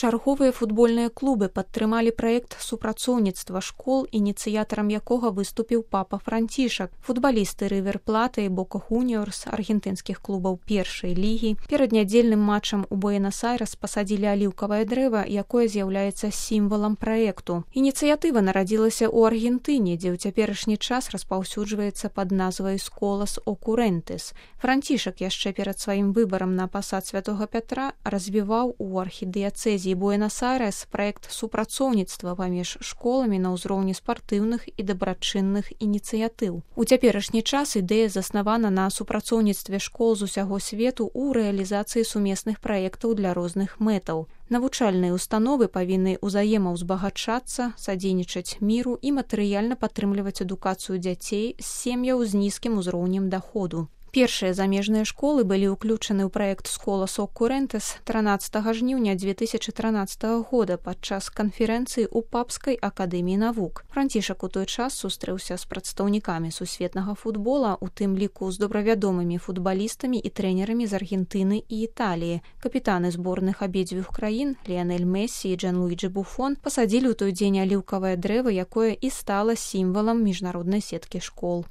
Чарговыя футбольныя клубы падтрымалі праект супрацоўніцтва школ, ініцыятарам якога выступіў папа Францішак. Футбалісты Рывер Платы і Бока Хуніорс аргентынскіх клубаў першай лігі перад нядзельным матчам у Буэнас-Айрэс пасадзілі аліўкавае дрэва, якое з'яўляецца сімвалам праекту. Ініцыятыва нарадзілася ў Аргентыне, дзе ў цяперашні час распаўсюджваецца пад назвай «Сколас Окурентес». Францішак яшчэ перад сваім выбарам на пасад святога Пятра развіваў у архідыяцэзе Буэнас-Айрэс праект супрацоўніцтва паміж школамі на ўзроўні спартыўных і дабрачынных ініцыятыў. У цяперашні час ідэя заснавана на супрацоўніцтве школ з усяго свету ў рэалізацыі сумесных праектаў для розных мэтаў. Навучальныя установы павінны ўзаемаўзбагачацца, садзейнічаць міру і матэрыяльна падтрымліваць адукацыю дзяцей з сем'яў з нізкім узроўнем даходу. Першыя замежныя школы былі ўключаны ў праект «Сколас Окурентес» 13 жніўня 2013 года падчас канферэнцыі ў Папскай акадэміі навук. Францішак у той час сустрэўся з прадстаўнікамі сусветнага футбола, у тым ліку з добравядомымі футбалістамі і трэнерамі з Аргентыны і Італіі. Капітаны зборных абедзвюх краін Ліанель Мессі і Джанлуіджі Буфон пасадзілі ў той дзень аліўкавае дрэва, якое і стала сімвалам міжнароднай сеткі школ.